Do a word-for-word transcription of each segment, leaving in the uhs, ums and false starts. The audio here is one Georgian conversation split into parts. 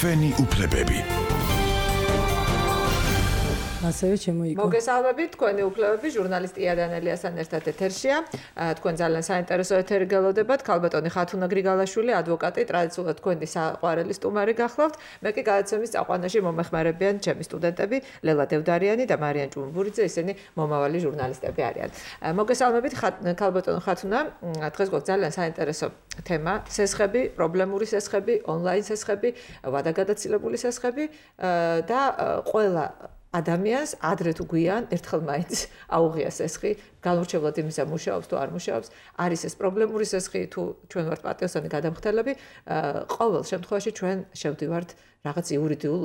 თქვენი უფლებები. ასევე შემოიგო. მოგესალმებით, თქვენი უფლებები ჟურნალისტი იანელიასთან ერთად ეთერშია. თქვენ ძალიან საინტერესო ეთერი გელოდებათ. ქალბატონი ხათუნა გრიგალაშვილი, ადვოკატი, ტრადიციულად თქვენი საყვარელი სტუმარი გახლავთ. მე კი გადაცემის წაყვანაში მომეხმარებიან ჩემი სტუდენტები, ლელა დევდარიანი და მარიან ჭუმბურიძე, ისინი მომავალი ჟურნალისტები არიან. მოგესალმებით, ქალბატონი ხათუნა, დღეს გვაქვს ძალიან საინტერესო თემა, სესხები, პრობლემური სესხები, ონლაინ სესხები, ვადაგადაცილებული სესხები და ყველა ადამიანს ადრე თუ გვიან ერთხელ მაინც აუღია სესხი, განურჩევლად იმისა მუშაობს თუ არ მუშაობს, არის ეს პრობლემური სესხი თუ ჩვენ ვართ პატიოსანი გადამხდელები, ყოველ შემთხვევაში ჩვენ შევდივართ რაღაც იურიდიულ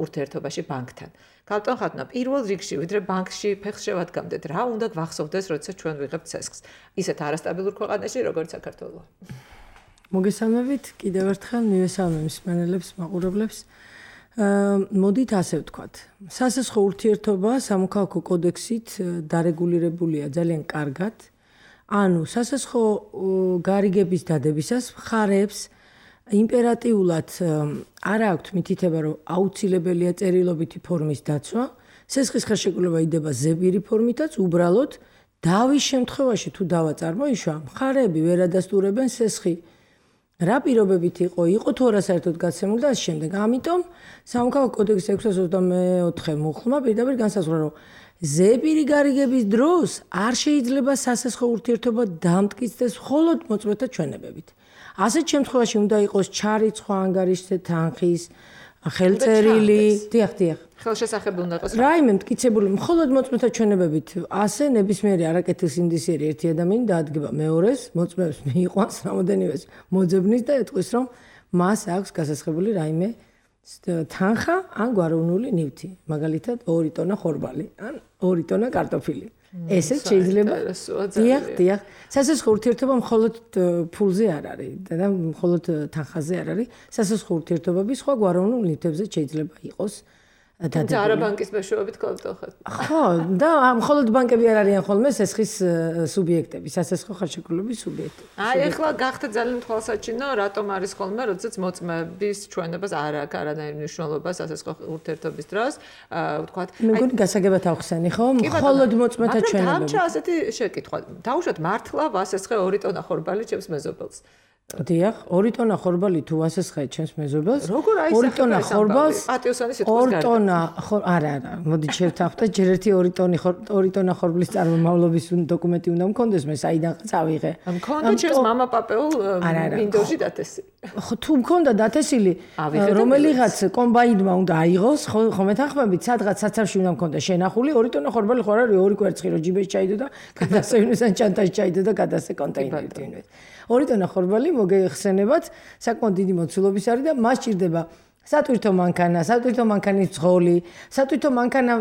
ურთიერთობაში ბანკთან. ქალბატონ ხათუნა, პირველ რიგში ვიდრე ბანკში ფეხს შევადგამდეთ, რა უნდა გვახსოვდეს, როდესაც ჩვენ ვიღებთ სესხს, ისეთ არასტაბილურ ქვეყანაში, როგორც საქართველო. მოგესალმებით, კიდევ ერთხელ მივესალმე მსმენელებს, მაყურებლებს. მოდით ასე ვთქვათ. სასესხო ურთიერთობა სამოქალაქო კოდექსით დარეგულირებულია ძალიან კარგად. ანუ სასესხო გარიგების დადებისას მხარეებს იმპერატიულად არ აქვთ მითითება, რომ აუცილებელია წერილობითი ფორმის დაცვა. სესხის ხელშეკრულება იდება ზებირი ფორმითაც, უბრალოდ დავის შემთხვევაში თუ დავა წარმოიშვა, მხარეები ვერ ადასტურებენ სესხი რა პირობებით იყო, იყო თუ არა საერთოდ გაცემული და ამ შემდეგ. ამიტომ სამოქალაქო კოდექსის ექვსას ოცდამეოთხე მუხლმა პირდაპირ განსაზღვრა, რომ ზებირი გარიგების დროს არ შეიძლება სასესხო ურთიერთობა დამტკიცდეს მხოლოდ მოწმეთა ჩვენებებით. ასეთ შემთხვევაში უნდა იყოს ჩარიცხვა ანგარიშზე თანხის, ხელწერილი, დიახ, დიახ. ხელშესახები უნდა იყოს. რაიმე მტკიცებული მხოლოდ მოწმეთა ჩვენებებით ასე ნებისმიერი არაკეთილ სინდისიერი ერთი ადამიანი დაადგება მეორეს, მოწმეებს მიიყვანს რამოდენივე მოძებნის და ეტყვის, რომ მას აქვს გასასხებული რაიმე თანხა ან გვაროვნული ნივთი, მაგალითად ორი ტონა ხორბალი ან ორი ტონა კარტოფილი. ესეც შეიძლება. დიახ, დიახ. სასესხო ურთიერთობა მხოლოდ ფულზე არ არის და მხოლოდ თანხაზე არ არის. სასესხო ურთიერთობები სხვა გვაროვნულ ნივთებზე შეიძლება იყოს. თუმცა არა ბანკის მეშვეობით ქალბატონხეთ. ხო, და მხოლოდ ბანკები არ არიან ხოლმე სესხის სუბიექტები, სასესხო ხელშეკრულების სუბიექტები. აი, ახლა გახდა ძალიან თვალსაჩინო, რატომ არის ხოლმე, როდესაც მოწმეების ჩვენებას არ აქვს არანაირი მნიშვნელობა სასესხო ურთიერთობის დროს, ვთქვათ. მე მგონი გასაგებად ავხსენი, ხო? მხოლოდ მოწმეთა ჩვენებები. მაგრამ დამჭა ასეთი შეკითხვა. დაუშვათ მართლა ვასესხე ორი ტონა ხორბალი ჩემს მეზობელს. დიახ, ორი ტონა ხორბალი თუ ასესხე ჩემს მეზობელს. როგორ აისახება ორი ტონა ხორბალს? პატიოსანი სიტყვის ორი ტონა არა, არა, მოდი შევთანხმდეთ, ჯერ ერთი ორი ტონი ორი ტონა ხორბლის წარმომავლობის დოკუმენტი უნდა მქონდეს, მე საიდან წავიღე. მქონდა ჩემს მამა პაპეულ მინდორში დათესილი. ხო, თუ მქონდა დათესილი, რომელიღაც კომბაინმა უნდა აიღოს, ხო მეთანხმებით, სადღაც საცავში უნდა მქონდა შენახული, ორი ტონა ხორბალი ხო არის, ორი კვერცხი რო ჯიბეში ჩაიდო და გადასეინეს ან ჩანტაში ჩაიდო და გადასე კონტეინერით ინვეს. ორი ტონა ხორბალი მოგეხსენებათ, საკმაოდ დიდი მოცულობის არის და მას ჭირდება სატვირთო მანქანა, სატვირთო მანქანის ძღოლი, სატვირთო მანქანა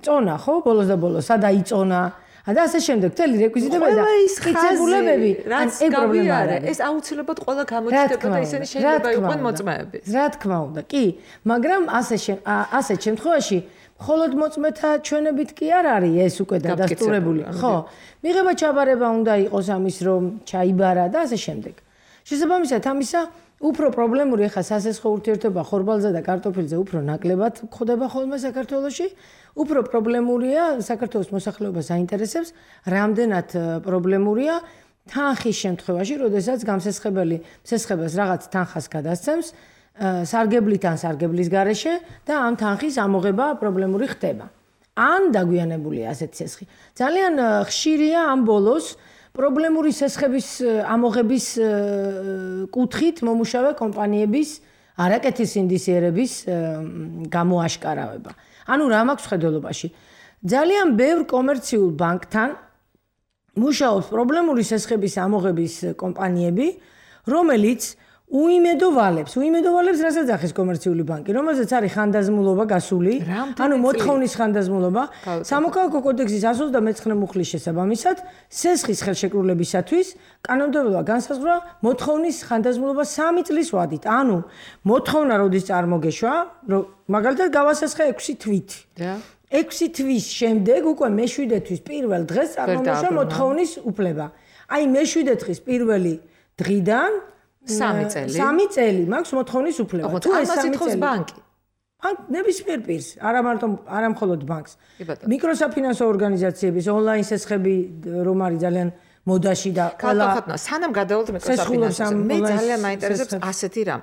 წონა, ხო, ბოლოს და ბოლოს, სადაიწონა. და ასე შემდეგ, მთელი რეკვიზიტები და მტკიცებულებები, ან ეგ პრობლემა არა. ეს აუცილებლად ყველა გამოჩნდება და ისინი შეიძლება იყვნენ მოწმეები. რა თქმა უნდა, კი, მაგრამ ასე ასეთ შემთხვევაში მხოლოდ მოწმეთა ჩვენებით კი არ არის ეს უკვე დადასტურებული, ხო? მიღება ჩაბარება უნდა იყოს ამის, რომ ჩაიბარა და ასე შემდეგ. შესაბამისად ამისა უფრო პრობლემური ხა სასესხო ურთიერთობა ხორბალზე და კარტოფილზე უფრო ნაკლებად ხდება ხოლმე საქართველოში. უფრო პრობლემურია საქართველოს მოსახლეობას აინტერესებს, რამდენად პრობლემურია თანხის შემთხვევაში, როდესაც გამსესხებელი მსესხებას რაღაც თანხას გადასცემს, სარგებლით ან სარგებლის გარეშე და ამ თანხის ამოღება პრობლემური ხდება. ან დაგვიანებულია ასეთ სესხი. ძალიან ხშირია ამ ბოლოს პრობლემური სესხების ამოღების კუთხით მომუშავე კომპანიების არაკეთილ სინდისიერების გამოაშკარავება. ანუ რა მაქვს ხედველობაში? ძალიან ბევრ კომერციულ ბანკთან მუშაობს პრობლემური სესხების ამოღების კომპანიები, რომელიც უიმედოვალებს, უიმედოვალებს რასაც ახეს კომერციული ბანკი, რომელზეც არის ხანდაზმულობა გასული, ანუ მოთხოვნის ხანდაზმულობა, სამოქალაქო კოდექსის εκατს ოცდამეცხრე მუხლის შესაბამისად, სესხის ხელშეკრულებისათვის კანონმდებლობა განსაზღვრა მოთხოვნის ხანდაზმულობა სამი წლის ვადით. ანუ მოთხოვნა როდის წარმოგეშვა, რომ მაგალითად გავასესხე ექვსი თვით. ექვსი თვის შემდეგ უკვე მეშვიდე თვის პირველ დღეს წარმომეშვა მოთხოვნის უფლება. აი მეშვიდე დღის პირველი დღიდან სამი წელი. სამი წელი მაქვს მოთხოვნის უფლება. თუ ეს სამი წელი ბანკი ან ნებისმიერ პირს, არა მარტო არა მხოლოდ ბანკს. მიკროსაფინანსო ორგანიზაციების ონლაინ სესხები რომ არის ძალიან მოდაში და ყველა ხათნა სანამ გადავალთ მიკროსაფინანსოზე მე ძალიან მაინტერესებს ასეთი რამ.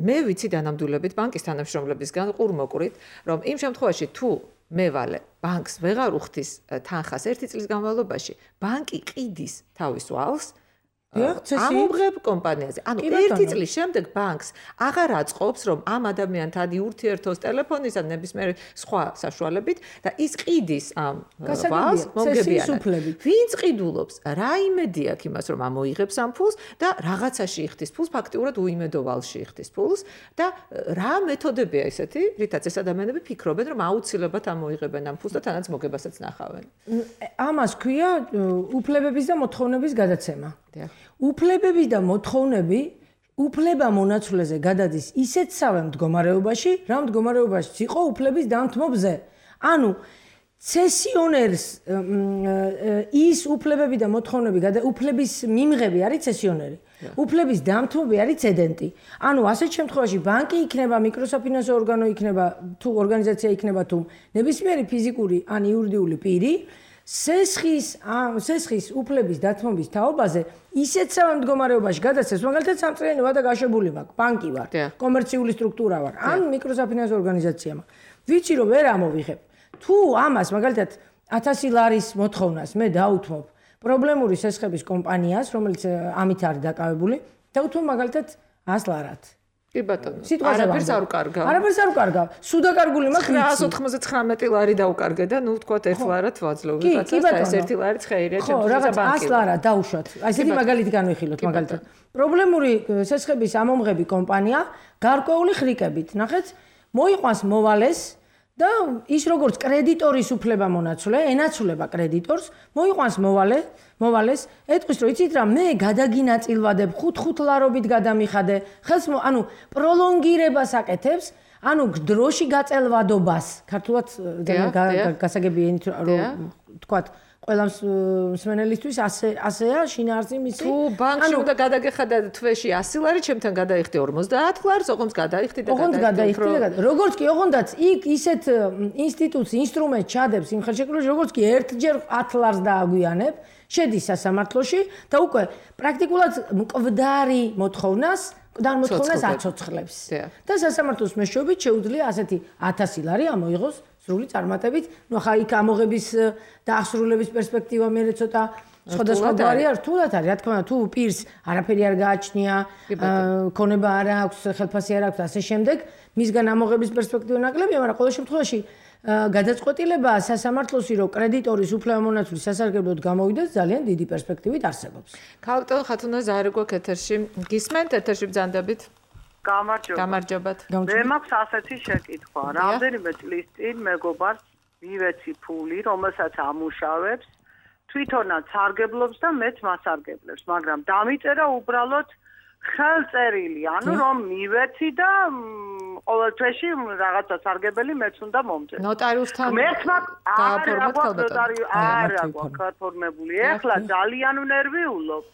მე ვიცი დანამდვილებით ბანკის თანამშრომლებისგან ყურმოყვრით, რომ იმ შემთხვევაში თუ მე ვალე ბანკს ვეღარ უხდის თანხას ერთი წლის განმავლობაში, ბანკი ყიდის თავის ვალს ამუღებ კომპანიაზე. ანუ ერთი წლის შემდეგ ბანკს აღარ აწყობს, რომ ამ ადამიანთან ურთიერთოს ტელეფონის ან ნებისმიერ სხვა საშუალებით და ის ყიდის ამ ვალს მომგებიანად. ვინც ყიდულობს, რა იმედი აქვს იმას, რომ ამოიღებს ამ ფულს და რაღაცაში იხდის ფულს, ფაქტიურად უიმედო ვალში იხდის ფულს და რა მეთოდებია ესეთი, რითაც ეს ადამიანები ფიქრობენ, რომ აუცილებლად ამოიღებენ ამ ფულს და თანაც მოგებასაც ნახავენ. ამას ქვია უფლებების და მოთხოვნების გადაცემა. უფლებები და მოთხოვნები უფლება მონაცვლეზე გადადის ისეთსავე მდგომარეობაში, რა მდგომარეობაშიც იყო უფლების დამთმობზე. ანუ ცესიონერს ის უფლებები და მოთხოვნები უფლების მიმღები არის ცესიონერი. უფლების დამთმობი არის ცედენტი. ანუ ასეთ შემთხვევაში ბანკი იქნება, მიკროსაფინანსო ორგანო იქნება, თუ ორგანიზაცია იქნება თუ ნებისმიერი ფიზიკური ან იურიდიული პირი სესხის სესხის უფლების დათმობის თაობაზე ისეთსავე მდგომარეობაში გადაცეს, მაგალითად სამწლიანი ვადა გაშვებული მაქვს, ბანკი ვარ, კომერციული სტრუქტურა ვარ, ან მიკროსაფინანსო ორგანიზაცია მაქვს. ვიცი რომ ვერ ამოვიღებ. თუ ამას მაგალითად ათასი ლარის მოთხოვნას მე დავუთმობ პრობლემური სესხების კომპანიას, რომელიც ამით არის დაკავებული, დავუთმობ მაგალითად ას ლარად. კი ბატონო. არაფერს არ უკარგავ. არაფერს არ უკარგავ. სუდაკარგული მაქვს ცხრაას ოთხმოცდათხრამეტი ლარი დაუკარგე და ნუ ვთქვათ ერთ ლარად ვაძლევ. ვიღაცას და ეს ერთი ლარიც ხეირია ჩემთვის ბანკი. ას ლარა დავუშვათ. აი ესეთი მაგალითი განვიხილოთ მაგალითად. პრობლემური სესხების ამომღები კომპანია გარკვეული ხრიკებით, ნახეთ, მოიყვანს მოვალეს და ის როგორც კრედიტორის უფლება მონაცვლე, ენაცვლება კრედიტორს, მოიყვანს მოვალე, მოვალეს, ეტყვის რომ იცით რა, მე გადაგინაწილვადებ ხუთ-ხუთ ლარობით გადამიხადე, ხელს ანუ პროლონგირებას აკეთებს, ანუ დროში გაწელვადობას, ქართულად გასაგები ენით რომ თქვათ ყველა მსმენელისთვის ასე ასეა შინაარსი მისი. თუ ბანკში უნდა გადაგეხადა თვეში ასი ლარი, ჩემთან გადაიხდი ორმოცდაათ ლარს, ოღონდ გადაიხდი და გადაიხდი. როგორც კი ოღონდაც იქ ისეთ ინსტიტუტს, ინსტრუმენტს ჩადებს იმ ხელშეკრულებაში, როგორც კი ერთჯერ ათ ლარს დააგვიანებ, შედის სასამართლოში და უკვე პრაქტიკულად მკვდარი მოთხოვნას და მოთხოვნას აცოცხლებს. და სასამართლოს მეშვეობით შეუძლია ასეთი ათასი ლარი ამოიღოს სრული წარმატებით. ნუ ხა იქ ამოღების და აღსრულების პერსპექტივა მე ცოტა სხვადასხვაგვარია, რთულად არის. რა თქმა უნდა, თუ პირს არაფერი არ გააჩნია, ქონება არ აქვს, ხელფასი არ აქვს, ასე შემდეგ, მისგან ამოღების პერსპექტივა ნაკლებია, მაგრამ ყოველ შემთხვევაში გადაწყვეტილება სასამართლოსი რომ კრედიტორის უფლებამონაცვლის სასარგებლოდ გამოვიდეს ძალიან დიდი პერსპექტივით არსებობს. ქალბატონ ხათუნა ზაარი გვაქვს ეთერში. გისმენთ ეთერში ბრძანდებით? გამარჯობა. გამარჯობათ. მე მაქვს ასეთი შეკითხვა. რამდენიმე წლის წინ მეგობარს მივეცი ფული, რომელსაც ამუშავებს, თვითონაც სარგებლობს და მეც მასარგებლებს, მაგრამ დამიწერა უბრალოდ ხელწერილი, ანუ რომ მივეცი და ყოველ თვეში რაღაცა სარგებელი მეც უნდა მომწეს. ნოტარიუსთან გააფორმოთ ქალბატონი. არა, გაფორმებული. ეხლა ძალიან ნერვიულობ.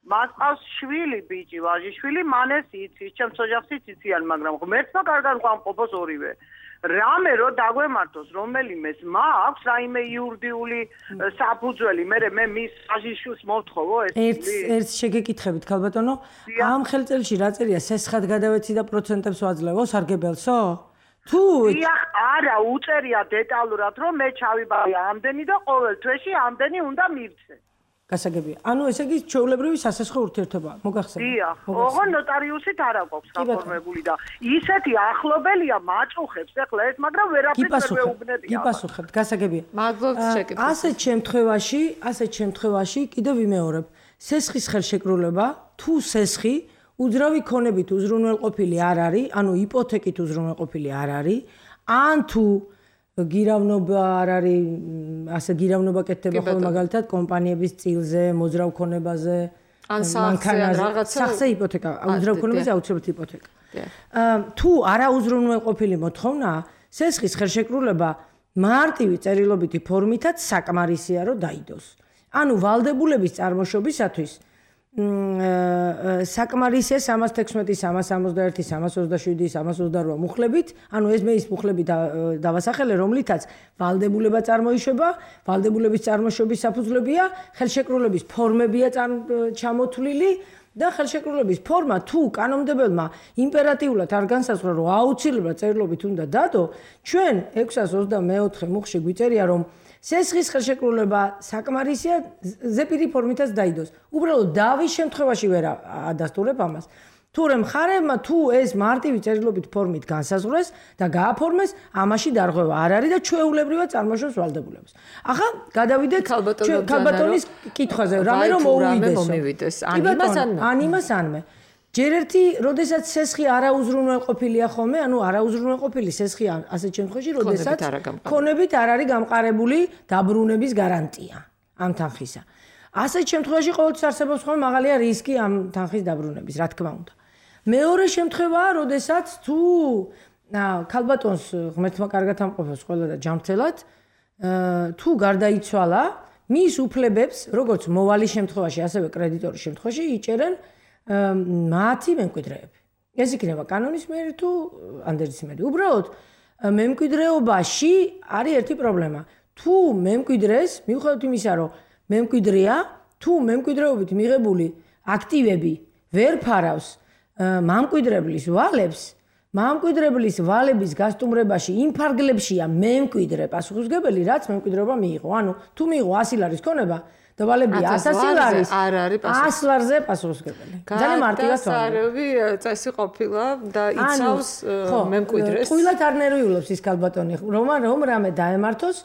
მას ყავს შვილი, ბიჭი, ვაჟიშვილი, მან ეს იცის, ჩემს ოჯახშიც იციან, მაგრამ ღმერთმა კარგად ყვამყოფოს ორივე. რამე რო დაგვემართოს რომელიმეს მაქვს რაიმე იურიდიული საფუძველი, მე მე მის ვაჟიშვილს მოვთხოვო ეს. ერთ ერთ შეგეკითხებით ქალბატონო, ამ ხელწერილში რა წერია, სესხად გადავეცი და პროცენტებს ვაძლევო სარგებელსო? თუ დიახ, არა, უწერია დეტალურად, რომ მე ჩავიბარე ამდენი და ყოველ თვეში ამდენი უნდა მივცე. გასაგებია. ანუ ესე იგი ჩვეულებრივი სასესხო ურთიერთობა მოგახსენე. დიახ, ოღონდ ნოტარიუსით არ აქვს გაფორმებული და ისეთი ახლობელია მაჭუხებს ახლა ეს, მაგრამ ვერაფერს ვერ ვეუბნებია. გიპასუხებთ, გასაგებია. მადლობთ შეკითხვას. ასეთ შემთხვევაში, ასეთ შემთხვევაში კიდევ ვიმეორებ, სესხის ხელშეკრულება, თუ სესხი უძრავი ქონებით უზრუნველყოფილი არ არის, ანუ იპოთეკით უზრუნველყოფილი არ არის, ან თუ გირავნობა არ არის, ასე გირავნობა კეთდება ხოლმე მაგალითად კომპანიების წილზე, მოძრავ ქონებაზე, ან რაღაცა სახზე იპოთეკა, უძრავ ქონებაზე აუცილებლად იპოთეკა. თუ არაუზრუნველყოფილი მოთხოვნა, სესხის ხელშეკრულება მარტივი წერილობითი ფორმითაც საკმარისია, რომ დაიდოს. ანუ ვალდებულების წარმოშობისათვის საკმარისია სამას თექვსმეტი, სამას ორმოცდაერთი, სამას ოცდაშვიდი, სამას ოცდარვა მუხლებით, ანუ ეს მე ის მუხლები დავასახელე, რომლითაც ვალდებულება წარმოიშვება, ვალდებულების წარმოშობის საფუძვლებია, ხელშეკრულების ფორმებია ჩამოთვლილი და ხელშეკრულების ფორმა თუ კანონმდებელმა იმპერატიულად არ განსაზღვრა, რომ აუცილებლად წერილობით უნდა დადო, ჩვენ ექვსას ოცდამეოთხე მუხლში გვიწერია, რომ სესხის ხელშეკრულება საკმარისია ზეპირი ფორმითაც დაიდოს. უბრალოდ დავის შემთხვევაში ვერ ადასტურებ ამას. თურმე მხარეებმა თუ ეს მარტივი წერილობით ფორმით განსაზღვრეს და გააფორმეს, ამაში დარღვევა არ არის და ჩვეულებრივად წარმოშობს ვალდებულებას. ახლა გადავიდეთ ქალბატონის კითხვაზე, რამე რომ მოუვიდეს. ან იმას ან იმას ანმე. ჯერ ერთი, როდესაც სესხი არაუზრუნველყოფილია ხოლმე, ანუ არაუზრუნველყოფილი სესხი ასეთ შემთხვევაში, როდესაც ქონებით არ არის გამყარებული დაბრუნების გარანტია ამ თანხისა. ასეთ შემთხვევაში ყოველთვის არსებობს ხოლმე მაღალია რისკი ამ თანხის დაბრუნების, რა თქმა უნდა. მეორე შემთხვევაა, როდესაც თუ ქალბატონს ღმერთმა კარგად ამყოფებს ყველა და ჯანმრთელად, თუ გარდაიცვალა, მის უფლებებს, როგორც მოვალის შემთხვევაში, ასევე კრედიტორის შემთხვევაში იჭერენ მათი მემკვიდრეები. ეს იქნება კანონის მიერ თუ ანდერძის მიერ. უბრალოდ მემკვიდრეობაში არის ერთი პრობლემა. თუ მემკვიდრეს, მიუხედავად იმისა, რომ მემკვიდრეა, თუ მემკვიდრეობით მიღებული აქტივები ვერ ფარავს მამკვიდრებლის ვალებს, მამკვიდრებლის ვალების გასტუმრებაში იმ ფარგლებშია მემკვიდრე პასუხისმგებელი, რაც მემკვიდრეობა მიიღო. ანუ თუ მიიღო ასი ლარის ქონება და ვალები ათასი ლარის არ არის პასუხისმგებელი. ას ლარზე პასუხისმგებელი. ძალიან მარტივად სარევი წესი ყოფილა და იცავს მემკვიდრეს. ტყუილად არ ნერვიულობს ის ქალბატონი, რომ რომ რამე დაემართოს,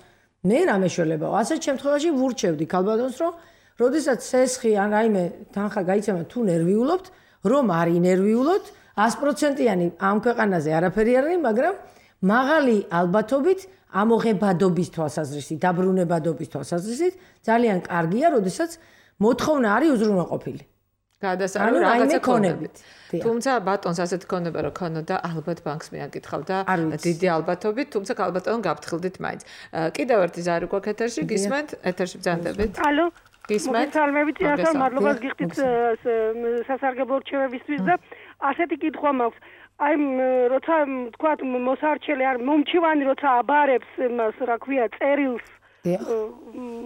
მე რამე შველებაო. ასეთ შემთხვევაში ვურჩევდი ქალბატონს, რომ როდესაც სესხი ან რაიმე თანხა გაიცემა თუ ნერვიულობთ, რომ არ ინერვიულოთ, ას პროცენტიანი ამ ქვეყანაზე არაფერი არ არის, მაგრამ მაღალი ალბათობით ამოღებადობის თვალსაზრისით, დაბრუნებადობის თვალსაზრისით ძალიან კარგია, როდესაც მოთხოვნა არის უზრუნველყოფილი. გადასარევი რაღაცა ქონებით. თუმცა ბატონს ასეთი ქონება რო ქონოდა, ალბათ ბანკს მიაკითხავდა დიდი ალბათობით, თუმცა ქალბატონო გაფრთხილდით მაინც. კიდევ ერთი ზარი გვაქვს ეთერში, გისმენთ, ეთერში ბრძანდებით. ალო. გისმენთ. მოგესალმებით, ახლა მადლობას გიხდით სასარგებლო რჩევებისთვის და ასეთი კითხვა მაქვს. აი როცა თქვა მოსარჩელი არ მომჩივანი როცა აბარებს მას რა ქვია წერილს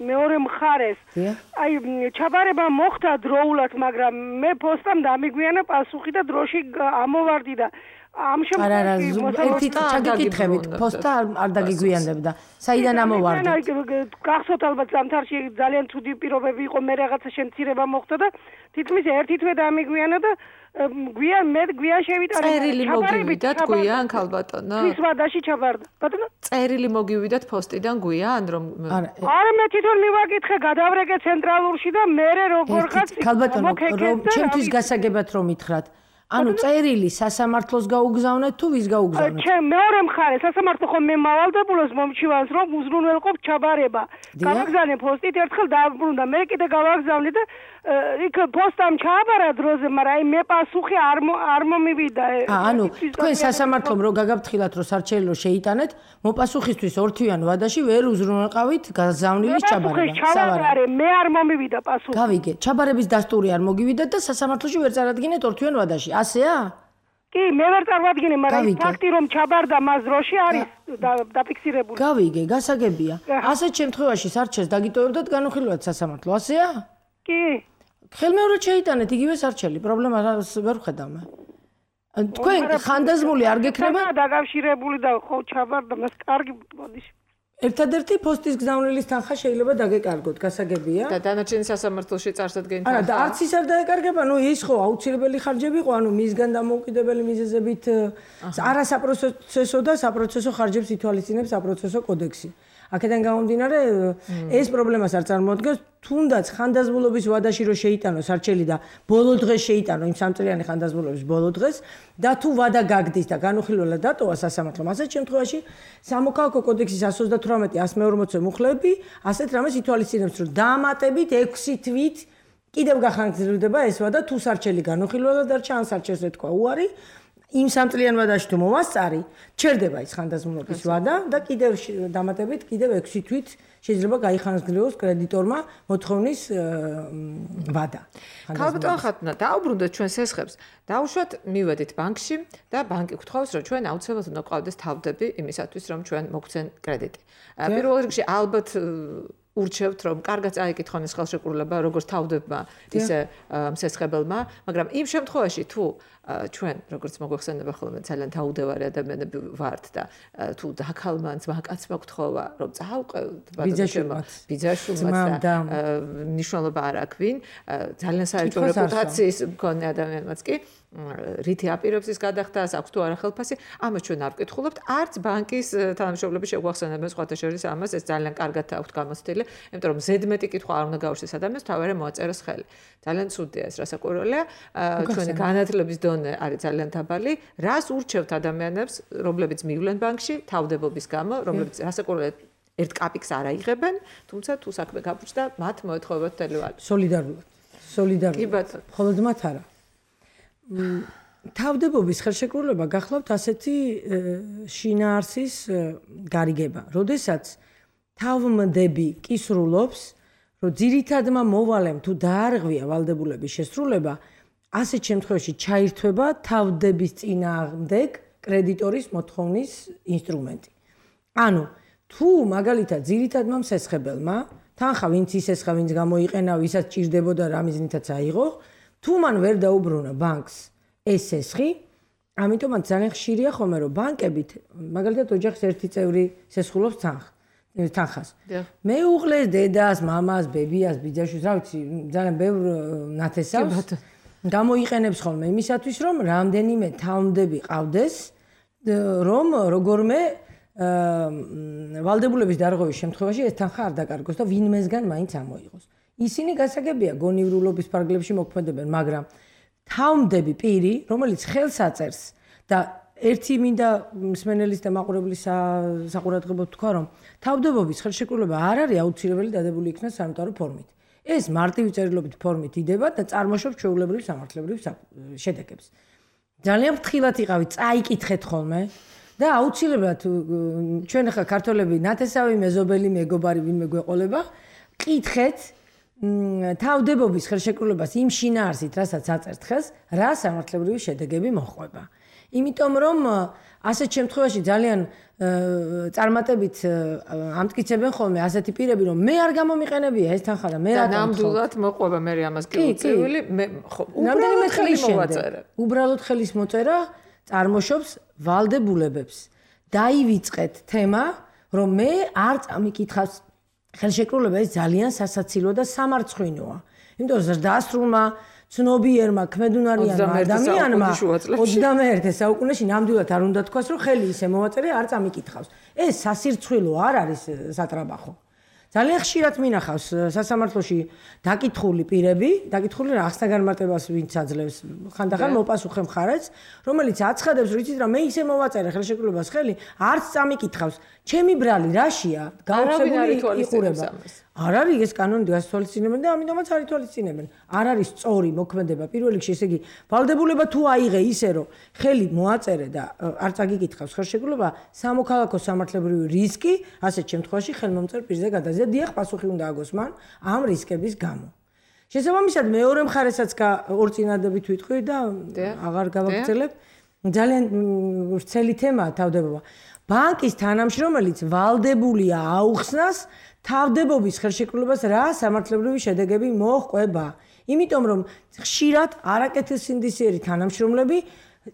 მეორე მხარეს აი ჩაბარება მოხდა დროულად მაგრამ მე პოსტამ დამიგვიანა პასუხი და დროში ამოვარდი და ამ შემთხვევაში ერთი ჩაგიკითხებით პოსტა არ დაგიგვიანდებდა საიდან ამოვარდი გახსოვთ ალბათ ზამთარში ძალიან ცუდი პირობები იყო მე რაღაცა შემცირება მოხდა და თითქმის ერთი თვე დამიგვიანა და გვიან მე გვიან შევიტანე წერილი მოგივიდათ გვიან ქალბატონო ის ვადაში ჩაბარდა ბატონო წერილი მოგივიდათ პოსტიდან გვიან რომ არა მე თვითონ მივაკითხე გადავრეკე ცენტრალურში და მე როგორ ხარ ქალბატონო რომ ჩემთვის გასაგებად რომ ითხრათ ანუ წერილი სასამართლოს გაუგზავნეთ თუ ვის გაუგზავნეთ? ჩემ მეორე მხარე სასამართლო ხომ მე მავალდებულოს მომჩივანს რომ უზრუნველყოფ ჩაბარება. გავაგზავნე პოსტით ერთხელ დაბრუნდა მე კიდე გავაგზავნე და იქ პოსტამ ჩააბარა დროზე, მაგრამ აი მე პასუხი არ არ მომივიდა. ანუ თქვენ სასამართლომ რო გაგაფრთხილათ რომ სარჩელო შეიტანეთ, მოპასუხისთვის ორთვიან ვადაში ვერ უზრუნველყავით გაზავნილის ჩაბარება. სავარაუდო მე არ მომივიდა პასუხი. გავიგე, ჩაბარების დასტური არ მოგივიდათ და სასამართლოში ვერ წარადგინეთ ორთვიან ვადაში. ასეა? კი, მე ვერ წარვადგინე, მაგრამ ფაქტი რომ ჩაბარდა მას დროში არის დაფიქსირებული. გავიგე, გასაგებია. ასეთ შემთხვევაში სარჩელს დაგიტოვებდათ განუხილავად სასამართლო, ასეა? კი. ხელმეორედ შეიტანეთ იგივე სარჩელი, პრობლემა ვერ ვხედავ მე. თქვენ ხანდაზმული არ გექნება? დაკავშირებული და ხო ჩაბარდა მას კარგი ბოდიში. ერთადერთი პოსტის გზავნილის თანხა შეიძლება დაგეკარგოთ, გასაგებია. და დანარჩენი სასამართლოში წარსადგენი თანხა. არა, და არც ის არ დაეკარგება, ნუ ის ხო აუცილებელი ხარჯები იყო, ანუ მისგან დამოუკიდებელი მიზეზებით არასაპროცესო და საპროცესო ხარჯებს ითვალისწინებს საპროცესო კოდექსი. აქედან გამომდინარე ეს პრობლემას არ წარმოადგენს, თუნდაც ხანდაზმულობის ვადაში რო შეიტანო სარჩელი და ბოლო დღეს შეიტანო იმ სამწლიანი ხანდაზმულობის ბოლო დღეს და თუ ვადა გაგდის და განუხილველად დატოვა სასამართლომ, ასეთ შემთხვევაში სამოქალაქო კოდექსის εκατს ოცდათვრამეტი ას მეორმოცე მუხლები ასეთ რამეს ითვალისწინებს, რომ დაამატებით ექვსი თვით კიდევ გახანგრძლივდება ეს ვადა თუ სარჩელი განუხილველად დარჩა ან სარჩელს ეთქვა უარი იმ სამწლიან ვადაში თუ მომასწარი, ჩერდება ის ხანდაზმულობის ვადა და კიდევ დამატებით კიდევ ექვსი თვით შეიძლება გაიხანძღლოს კრედიტორმა მოთხოვნის ვადა. ქალბატონ ხათუნა, დაუბრუნდეთ ჩვენ სესხებს. დაუშვათ მივედით ბანკში და ბანკი გთხოვს, რომ ჩვენ აუცილებლად უნდა გვყავდეს თავდები იმისათვის, რომ ჩვენ მოგცენ კრედიტი. პირველ რიგში ალბათ ურჩევთ, რომ კარგად წაიკითხონ ეს ხელშეკრულება, როგორც თავდებმა, ისე მსესხებელმა, მაგრამ იმ შემთხვევაში თუ ჩვენ როგორც მოგვეხსენება ხოლმე ძალიან დაუდევარი ადამიანები ვართ და თუ დაქალმან ძმაკაცმა გთხოვა, რომ წაავყევთ ბიძაშვილმაც და მნიშვნელობა არ აქვს ვინ, ძალიან საერთო რეპუტაციის მქონე ადამიანმაც კი რითი აპირებს ის გადახდას, აქვს თუ არა ხელფასი, ამას ჩვენ არ ვკითხულობთ, არც ბანკის თანამშრომლები შეგვახსენებენ სხვათა შორის ამას, ეს ძალიან კარგად აქვთ გამოცდილი, იმიტომ რომ ზედმეტი კითხვა არ უნდა გაუშვეს ადამიანს, თავი მოაწეროს ხელი. ძალიან ცუდია ეს, რასაკვირველია, ჩვენი განათლების დონე არის ძალიან დაბალი, რას ურჩევთ ადამიანებს, რომლებიც მივლენ ბანკში თავდებობის გამო, რომლებიც რასაკვირველია ერთ კაპიკს არ აიღებენ, თუმცა თუ საქმე გაბუჭდა, მათ მოეთხოვებათ თელევალი. სოლიდარულად. სოლიდარულად. მხოლოდ მათ არა. თავდებობის ხელშეკრულება გახლავთ ასეთი შინაარსის გარიგება, როდესაც თავმდები კისრულობს, რომ ძირითადმა მოვალემ თუ დაარღვია ვალდებულების შესრულება, ასეთ შემთხვევაში ჩაირთვება თავდების წინააღმდეგ კრედიტორის მოთხოვნის ინსტრუმენტი. ანუ თუ მაგალითად ძირითადმა მსესხებელმა თანხა ვინც ისესხა, ვინც გამოიყენა, ვისაც ჭირდებოდა რა მიზნითაც აიღო, თუ მან ვერ დაუბრუნა ბანკს ეს სესხი, ამიტომაც ძალიან ხშირია ხოლმე რომ ბანკებით, მაგალითად ოჯახის ერთი წევრი სესხულობს თანხას. მეუღლეს, დედას, მამას, ბებიას, ბიძაშვილს, რა ვიცი, ძალიან ბევრ ნათესავს გამოიყენებს ხოლმე იმისათვის, რომ რამდენიმე თავმდები ყავდეს, რომ როგორმე ვალდებულების დარღვევის შემთხვევაში ეს თანხა არ დაკარგოს და ვინმესგან მაინც ამოიღოს. ისინი გასაგებია გონივრულობის ფარგლებში მოქმედებენ, მაგრამ თავმდები პირი, რომელიც ხელს აწერს და ერთი მინდა მსმენელის და მაყურებლის საყურადღებოდ თქვა, რომ თავდებობის ხელშეკრულება არ არის აუცილებელი დადებული იქნას სამთავრო ფორმით. ეს მარტივი წერილობით ფორმით იდება და წარმოშობს ჩვეულებრივ სამართლებრივ შედეგებს. ძალიან ფრთხილად იყავით, წაიკითხეთ ხოლმე და აუცილებლად ჩვენ ახლა ქართველები ნათესავი, მეზობელი, მეგობარი ვინმე გვეყოლება, კითხეთ თავდებობის ხელშეკრულებას იმ შინაარსით, რასაც აწერთ ხელს, რა სამართლებრივი შედეგები მოჰყვება. იმიტომ რომ ასეთ შემთხვევაში ძალიან წარმატებით ამტკიცებენ ხოლმე ასეთი პირები, რომ მე არ გამომიყენებია ეს თანხა და მე რა ნამდვილად მოყვება მე ამას კი უწევილი, მე უბრალოდ ხელის მოწერა. უბრალოდ ხელის მოწერა წარმოშობს ვალდებულებებს. დაივიწყეთ თემა, რომ მე არ წამიკითხავს ხელშეკრულება ეს ძალიან სასაცილო და სამარცხვინოა. იმიტომ რომ დასრულმა ცნობიერმა ქმედუნარიანმა ადამიანმა ოცდამეერთე საუკუნეში ნამდვილად არ უნდა თქვას, რომ ხელი ისე მოვაწერე არ წამიკითხავს. ეს სასირცხვილო არ არის სატრაბახო. ძალიან ხშირად მინახავს სასამართლოში დაკითხული პირები, დაკითხული რაღაცა განმარტებას ვინც აძლევს, ხანდახან მოპასუხე მხარეც, რომელიც აცხადებს, რომ იცით რა, მე ისე მოვაწერე ხელშეკრულებას ხელი, არც წამიკითხავს. ჩემი ბრალი რაშია? გაუცებული იყურება. არ არის ეს კანონი გასათვალისწინებენ და ამიტომაც არ ითვალისწინებენ. არ არის სწორი მოქმედება პირველ რიგში, ესე იგი, ვალდებულება თუ აიღე ისე, რომ ხელი მოაწერე და არ წაგიკითხავს ხელშეკრულება, სამოქალაქო სამართლებრივი რისკი, ასეთ შემთხვევაში ხელმომწერ პირზე გადაზია, დიახ, პასუხი უნდა აგოს მან ამ რისკების გამო. შესაბამისად, მეორე მხარესაც ორ წინადებით ვიტყვი და აღარ გავაგრძელებ. ძალიან ვრცელი თემაა თავდებობა. ბანკის თანამშრომელიც ვალდებულია აუხსნას თავდებობის ხელშეკრულებას რა სამართლებრივი შედეგები მოჰყვება. იმიტომ რომ ხშირად არაკეთილსინდისიერი თანამშრომლები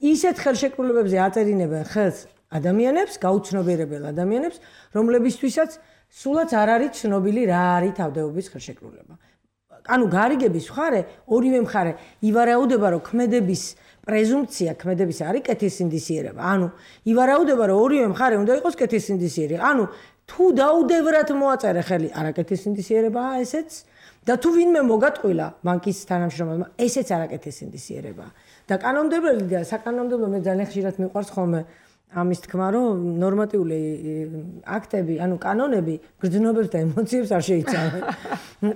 ისეთ ხელშეკრულებებზე აწერინებენ ხელს ადამიანებს, გაუცნობიერებელ ადამიანებს, რომლებისთვისაც სულაც არ არის ცნობილი რა არის თავდებობის ხელშეკრულება. ანუ გარიგების მხარე, ორივე მხარე ივარაუდება, რომ ქმედების პრეზუმპცია, ქმედების არის კეთილსინდისიერება. ანუ ივარაუდება, რომ ორივე მხარე უნდა იყოს კეთილსინდისიერი. ანუ თუ დაუდევრად მოაწერე ხელი არაკეთილსინდისიერებაა ესეც და თუ ვინმე მოგატყვილა ბანკის თანამშრომელმა ესეც არაკეთილსინდისიერებაა. და კანონმდებლელი და საკანონმდებლო მე ძალიან ხშირად მიყვარს ხოლმე ამის თქმა, რომ ნორმატიული აქტები, ანუ კანონები გრძნობებს და ემოციებს არ შეიცავენ.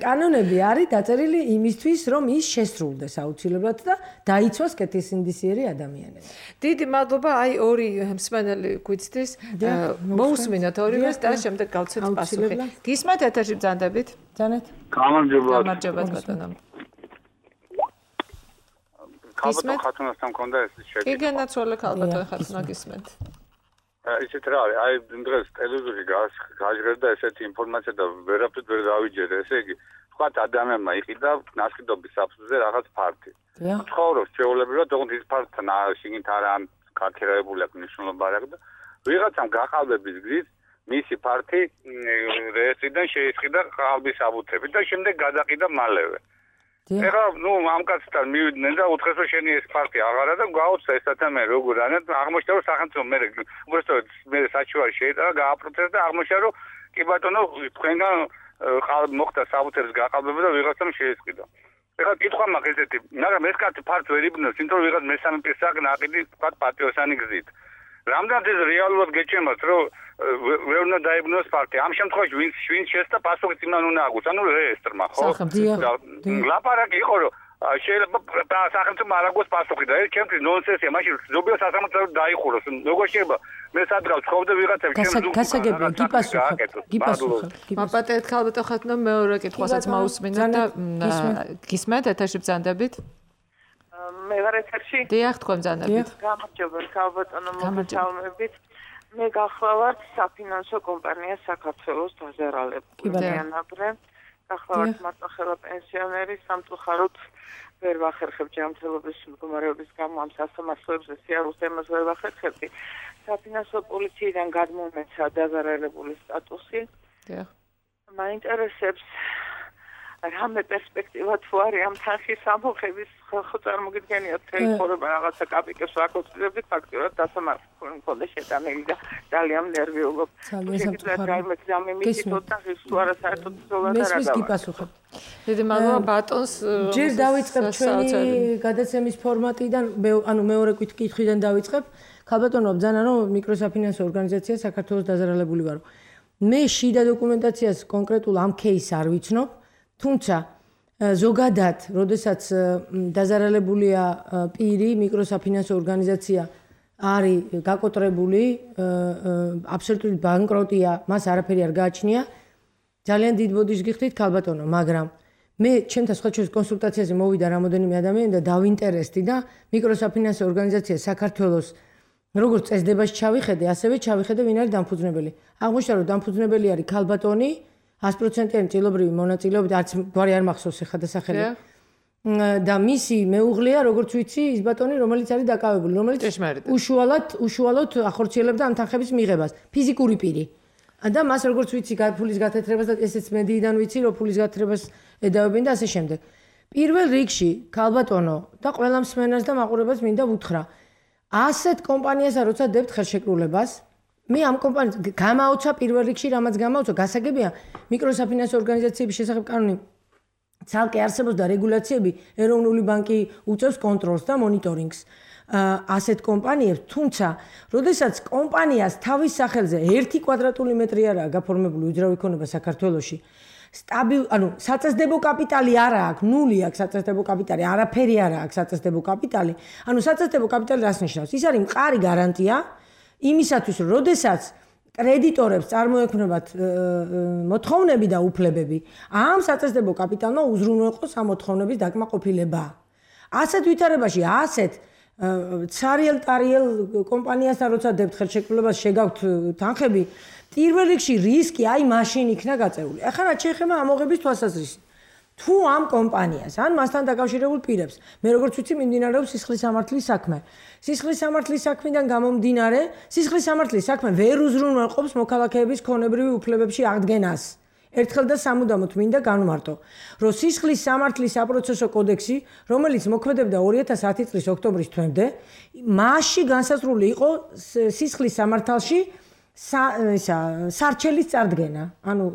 კანონები არის დაწერილი იმისთვის, რომ ის შესრულდეს აუცილებლად და დაიცვას კეთილსინდისიერი ადამიანები. დიდი მადლობა, აი ორი მსმენელი გვიცდის. მოусმინოთ ორივეს და შემდეგ გავცეთ პასუხი. გისმენთ ეთერში ბრძანდებით? ბრძანეთ. გამარჯობა. გამარჯობა ბატონო. ქალბატონ ხათუნასთან მქონდა ეს შედეგი. კი განაცვალე ქალბატონ ხათუნა გისმენთ. ისეთ რა არის, აი დღეს ტელევიზორში გაჟღერდა ესეთი ინფორმაცია და ვერაფრით ვერ დავიჯერე, ესე იგი, თქვათ ადამიანმა იყიდა ნასყიდობის საფუძველზე რაღაც ფაქტი. ცხოვრობს ჩვეულებრივად, თუმცა ის ფაქტთან შიგნით არა გაქერაებული აქვს მნიშვნელობა არ აქვს და ვიღაცამ გაყალბების გზით მისი ფაქტი რეესტრიდან შეისყიდა ყალბის აბუთები და შემდეგ გადაყიდა მალევე. ეხლა ნუ ამ კაცთან მივიდნენ და უთხრეს რომ შენი ეს ფაქტი აღარა და გაუწეს ეს ადამე როგორ არა აღმოჩნდა რომ სახელმწიფო მე უბრალოდ მე საჩუარი შეიტანა გააპროცესა და აღმოჩნდა რომ კი ბატონო თქვენგან მოხდა საბუთების გაყალბება და ვიღაცამ შეისყიდა. ეხლა კითხვა მაქვს ესეთი, მაგრამ ეს კაცი ფაქტს ვერ იბნევს, იმიტომ რომ ვიღაც მესამე პირსაკ ნაყიდი თქვა პატიოსანი გზით. რამდენად ეს რეალურად გეჩემათ, რომ ვერ უნდა დაიბნოს ფაქტი. ამ შემთხვევაში ვინც ვინც შესწა პასუხიც იმან უნდა აგოს, ანუ რეესტრმა, ხო? ლაპარაკი იყო, რომ შეიძლება სახელმწიფო არ აგოს პასუხი და ეს ჩემთვის ნონსენსია, მაშინ ზოგიერთ სასამართლოს დაიხუროს. როგორ შეიძლება მე სადღაც ხოვდა ვიღაცებს ჩემს გასაგებია, გიპასუხებ, გიპასუხებ. მაპატეთ ქალბატონ ხათუნა მეორე კითხვასაც მოусმინოთ და გისმენთ ეთერში ბრძანდებით? მე ვარ ეთერში? დიახ, თქვენ ბრძანდებით. გამარჯობა, ქალბატონო, მოგესალმებით. მე გახლავართ საფინანსო კომპანია საქართველოს დაზარალებულიანაბრე. გახლავართ მარტოხელა პენსიონერი, სამწუხაროდ ვერ ვახერხებ ჯანმრთელობის მდგომარეობის გამო ამ სასამართლოებზე სიარულს ემას ვერ ვახერხებდი. საფინანსო პოლიციიდან გადმომეცა დაზარალებული სტატუსი. დიახ. მაინტერესებს რამე პერსპექტივა თუ არის ამ თანხის ამოღების ხო წარმოგიდგენიათ თელეფონები რაღაცა კაპიკებს ვაკოცდებდით ფაქტობრივად დასამართლებელი მქონდა შეტანილი და ძალიან ნერვიულობ. მესმის გიპასუხებ. დიდი მადლობა ბატონს. ჯერ დავიწყებ ჩვენი გადაცემის ფორმატიდან, ანუ მეორე კითხვიდან დავიწყებ. ქალბატონო ბრძანა რომ მიკროსაფინანსო ორგანიზაცია საქართველოს დაზარალებული ვარო. მე შიდა დოკუმენტაციას კონკრეტულ ამ кейსს არ ვიცნობ. თუმცა ზოგადად, როდესაც დაზარალებულია პირი, მიკროსაფინანსო ორგანიზაცია არის გაკოტრებული, აბსოლუტური ბანკროტია, მას არაფერი არ გააჩნია. ძალიან დიდ ბოდიშს გიხდით ქალბატონო, მაგრამ მე ჩემთან სხვა ჩვენს კონსულტაციაზე მოვიდა რამოდენიმე ადამიანი და დავინტერესდი და მიკროსაფინანსო ორგანიზაცია საქართველოს როგორც წესდებას ჩავიხედე, ასევე ჩავიხედე ვინ არის დამფუძნებელი. აღმოჩნდა რომ დამფუძნებელი არის ქალბატონი sto პროცენტიანი წილობრივი მონაწილეობით, არც გვარი არ მახსოვს ახლა დასახელი. და მისი მეუღლეა, როგორც ვიცი, ის ბატონი, რომელიც არის დაკავებული, რომელიც უშუალოდ უშუალოდ ახორციელებდა ამ თანხების მიღებას, ფიზიკური პირი. და მას როგორც ვიცი, ფულის გათეთრებას და ესეც მედიიდან ვიცი, რომ ფულის გათეთრებას ედავებინ და ასე შემდეგ. პირველ რიგში, ქალბატონო და ყველა მსმენელს და მაყურებელს მინდა ვუთხრა, ასეთ კომპანიასა როცა დებთ ხელშეკრულებას, მე ამ კომპანიას გამაოცა პირველ რიგში რამაც გამაოცა გასაგებია მიკროსაფინანსო ორგანიზაციების შესახებ კანონი ცალკე არსებობს და რეგულაციები ეროვნული ბანკი უწევს კონტროლს და მონიტორინგს ასეთ კომპანიებს თუმცა როდესაც კომპანიას თავის სახელზე ერთი კვადრატული მეტრი არაა გაფორმებული უძრავი ქონება საქართველოში სტაბილ ანუ საწესდებო კაპიტალი არა აქვს ნული აქვს საწესდებო კაპიტალი არაფერი არა აქვს საწესდებო კაპიტალი ანუ საწესდებო კაპიტალი რას ნიშნავს ის არის მყარი გარანტია იმისათვის რომ როდესაც კრედიტორებს წარმოექმნებათ მოთხოვნები და უფლებები ამ საწესდებო კაპიტალმა უზრუნველყოს ამ მოთხოვნების დაკმაყოფილება ასეთ ვითარებაში ასეთ ცარიელ ტარიელ კომპანიასთან როცა დებთ ხელშეკრულებას შეგაქვთ თანხები პირველ რიგში რისკი აი მაშინ იქნა გაწეული ახლა რა შეეხება ამოღების თვალსაზრისით თუ ამ კომპანიას ან მასთან დაკავშირებულ პირებს მე როგორც ვიცი მიმდინარეობს სისხლის სამართლის საქმე სისხლის სამართლის საქმიდან გამომდინარე სისხლის სამართლის საქმე ვერ უზრუნველყოფს მოქალაქეების ქონებრივი უფლებებში აღდგენას ერთხელ და სამუდამოდ მინდა განვმარტო რომ სისხლის სამართლის საპროცესო კოდექსი რომელიც მოქმედებდა ორი ათას ათი წლის ოქტომბრის თვემდე მასში განსაზღვრული იყო სისხლის სამართალში სარჩელის წარდგენა ანუ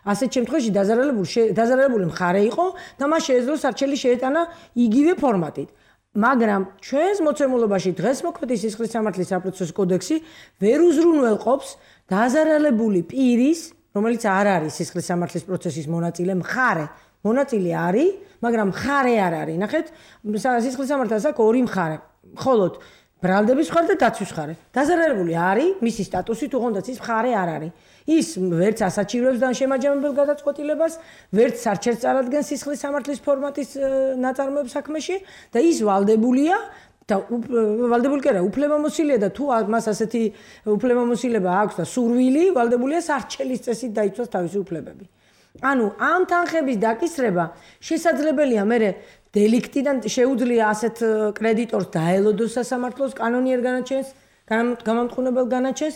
ასეთ შემთხვევაში დაზარალებული დაზარალებული მხარე იყო და მას შეეძლო სარჩელი შეეტანა იგივე ფორმატით მაგრამ ჩვენს მოცემულობაში დღეს მოქმედი სისხლის სამართლის საპროცესო კოდექსი ვერ უზრუნველყოფს დაზარალებული პირის, რომელიც არ არის სისხლის სამართლის პროცესის მონაწილე, მხარე. მონაწილე არის, მაგრამ მხარე არ არის. ნახეთ, სისხლის სამართალს აქვს ორი მხარე. მხოლოდ ბრალდების მხარე და დაცვის მხარე. დაზარალებული არის, მისი სტატუსი თუნდაც ის მხარე არ არის. ის ვერც ასაჩივრებს და შემაჯამებელ გადაწყვეტილებას, ვერც სარჩელს წარადგენს სისხლის სამართლის ფორმატის ნაწარმოებს საქმეში და ის ვალდებულია და ვალდებული კი არა, უფლებამოსილია და თუ მას ასეთი უფლებამოსილება აქვს და სურვილი, ვალდებულია სარჩელის წესით დაიცვას თავისი უფლებები. ანუ ამ თანხების დაკისრება შესაძლებელია მერე დელიქტიდან შეუძლია ასეთ კრედიტორს დაელოდოს სასამართლოს კანონიერ განაჩენს, გამამტყუნებელ განაჩენს.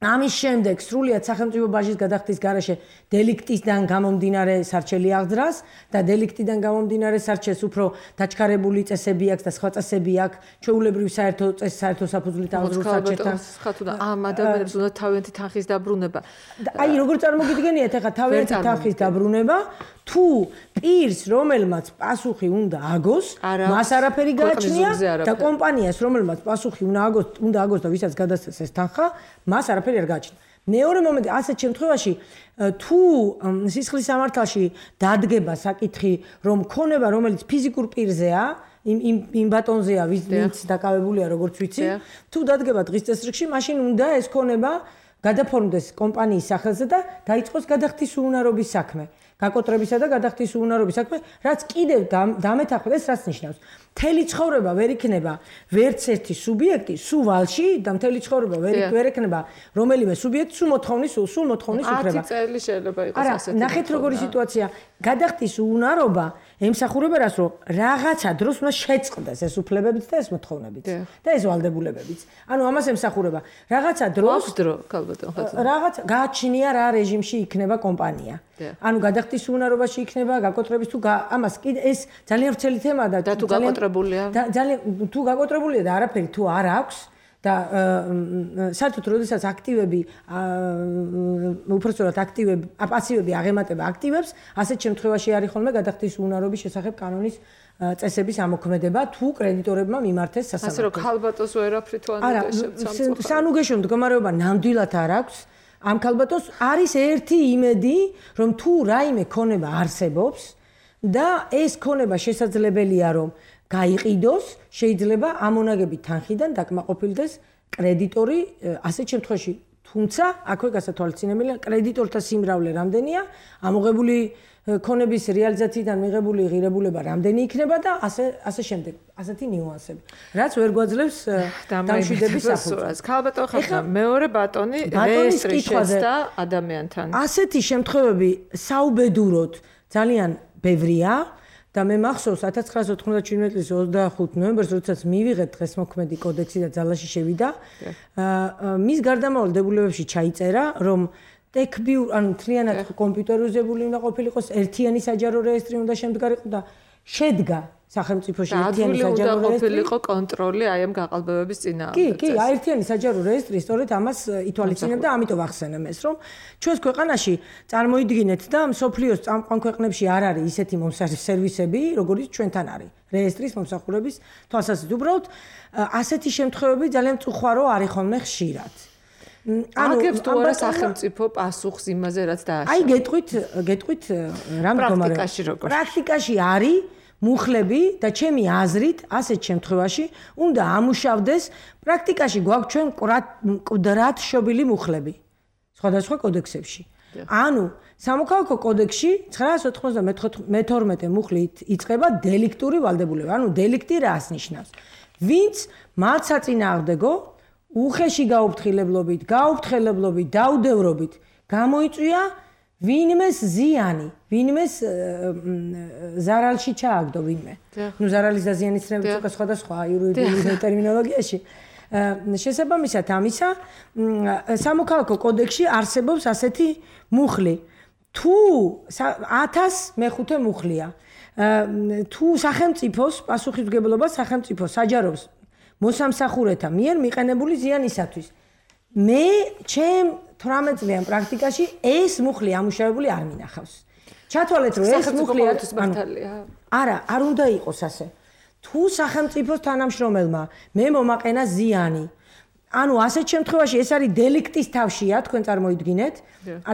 ამის შემდეგ სრულიად სახელმწიფო ბაჟის გადახდის გარეშე დელიქტისგან გამომდინარე სარჩელი აღძრას და დელიქტიდან გამომდინარე სარჩელს უფრო დაჩქარებული წესები აქვს და სხვა წესები აქვს ჩვეულებრივი საერთო წესი საერთო საფუძვლით აღძრულ სარჩელთან. ხათუნა ამ ადამიანებს უნდა თავიანთი თანხის დაბრუნება. აი როგორ წარმოგიდგენიათ ახლა თავიანთი თანხის დაბრუნება თუ პირს რომელმაც პასუხი უნდა აგოს, მას არაფერი გააჩნია და კომპანიას რომელმაც პასუხი უნდა აგოს, უნდა აგოს და ვისაც გადასცეს ეს თანხა, მას არაფერი არ გააჩნია. მეორე მომენტი, ასეთ შემთხვევაში თუ სისხლის სამართალში დადგება საკითხი, რომ ქონება რომელიც ფიზიკურ პირზეა, იმ იმ იმ ბატონზეა, ვინც დაკავებულია, როგორც ვიცი, თუ დადგება დღის წესრიგში, მაშინ უნდა ეს ქონება გადაფორმდეს კომპანიის სახელზე და დაიწყოს გადახდის უუნარობის საქმე. გაკოტრებისა და გადახდის უუნარობის საქმე, რაც კიდევ დამეთანხმდეს, რაც ნიშნავს. მთელი ცხოვრება ვერ იქნება ვერც ერთი სუბიექტი სულ ვალში და მთელი ცხოვრება ვერ იქნება რომელიმე სუბიექტი სულ მოთხოვნის სულ მოთხოვნის უფლება. ათი წელი შეიძლება იყოს ასეთი. არა, ნახეთ როგორი სიტუაცია. გადახდის უუნარობა ემსახურება რას, რომ რაღაცა დროს უნდა შეწყდეს ეს უფლებებიც და ეს მოთხოვნებიც და ეს ვალდებულებებიც. ანუ ამას ემსახურება. რაღაცა დროს დრო, ქალბატონ ხათუნა. რაღაც გააჩნია რა რეჟიმში იქნება კომპანია. ანუ გადახდის უუნარობაში იქნება, გაკოტრების თუ ამას კიდე ეს ძალიან ვრცელი თემაა და თუ გაკოტრებულია. და ძალიან თუ გაკოტრებულია და არაფერი თუ არ აქვს და საერთოდ როდესაც აქტივები უпростоრად აქტივები, პასივები აღემატება აქტივებს, ასეთ შემთხვევაში არის ხოლმე გადახდის უუნარობის შესახებ კანონის წესების ამოქმედება თუ კრედიტორებმა მიმართეს სასამართლოს. ასე რომ ქალბატონს ვერაფრით თუ არ უნდა სანუგეშო მდგომარეობა ნამდვილად არ აქვს. ამ ქალბატონს არის ერთი იმედი, რომ თუ რაიმე ქონება არსებობს და ეს ქონება შესაძლებელია რომ გაიყიდოს, შეიძლება ამონაგებით თანხიდან დაკმაყოფილდეს კრედიტორი ასეთ შემთხვევაში. თუმცა აქვე გასათვალისწინებელია კრედიტორთა სიმრავლე რამდენია, ამოღებული ქონების რეალიზაციიდან მიღებული ღირებულება რამდენი იქნება და ასე ასე შემდეგ. ასეთი ნიუანსები. რაც ვერ გვაძლევს დამშვიდების საფუძვლს. ქალბატონ ხათუნა, მეორე ბატონი რეესტრის შეცდა ადამიანთან. ასეთი შემთხვევები საუბედუროდ ძალიან ბევრია. და მე მახსოვს ათას ცხრაასი ოთხმოცდაშვიდმეტი წლის ოცდახუთი ნოემბერს, როდესაც მივიღეთ დღეს მოქმედი კოდექსი და ძალაში შევიდა, მის გარდამავალ დებულებებში ჩაიწერა, რომ ტექბიურ, ანუ მთლიანად კომპიუტერიზებული უნდა ყოფილიყოს, ერთიანი საჯარო რეესტრი უნდა შემდგარიყო და შედგა სახელმწიფოში ერთიანი საჯარო რეესტრი. ყოფილიყო კონტროლი აი ამ გაყალბებების წინააღმდეგ. კი, კი, ერთიანი საჯარო რეესტრი სწორედ ამას ითვალისწინებდა, ამიტომ ახსენեմ ეს, რომ ჩვენს ქვეყანაში წარმოიდგინეთ და მსოფლიოს წამყვან ქვეყნებში არ არის ისეთი სერვისები, როგორიც ჩვენთან არის. რეესტრის მომსახურების თვალსაზრისით, უბრალოდ ასეთი შემთხვევები ძალიან წუხვარო არის ხოლმე ხშირად. აგებს თუ არა სახელმწიფო პასუხს იმაზე, რაც დააშვა. აი, გეტყვით, გეტყვით რა მდგომარეობა. პრაქტიკაში როგორ? პრაქტიკაში არის მუხლები და ჩემი აზრით ასეთ შემთხვევაში უნდა ამუშავდეს პრაქტიკაში გვაქვს ჩვენ მკვდრად შობილი მუხლები სხვადასხვა კოდექსებში. ანუ სამოქალაქო კოდექსში ცხრაასი ოთხმოცდამეთორმეტე მუხლით იწყება დელიქტური ვალდებულება. ანუ დელიქტი რას ნიშნავს? ვინც მათ საწინააღმდეგო უხეში გაუფრთხილებლობით, გაუფრთხილებლობით, დაუდევრობით გამოიწვია ვინმეს ზიანი, ვინმეს ზარალში ჩააგდო ვინმე. ნუ ზარალის და ზიანის ცნებიც უკვე სხვადასხვა იურიდიული ტერმინოლოგიაში. შესაბამისად ამისა, სამოქალაქო კოდექსში არსებობს ასეთი მუხლი. თუ ათას მეხუთე მუხლია. თუ სახელმწიფოს პასუხისმგებლობა სახელმწიფო საჯაროს მოსამსახურეთა მიერ მიყენებული ზიანისათვის. მე ჩემ თვრამეტ წლიან პრაქტიკაში ეს მუხლი ამუშავებული არ მინახავს. ჩათვალეთ რომ ეს მუხლი არის მართალია. არა, არ უნდა იყოს ასე. თუ სახელმწიფოს თანამშრომელმა მე მომაყენა ზიანი ანუ ასეთ შემთხვევაში ეს არის დელიქტის თავშია, თქვენ წარმოიდგინეთ.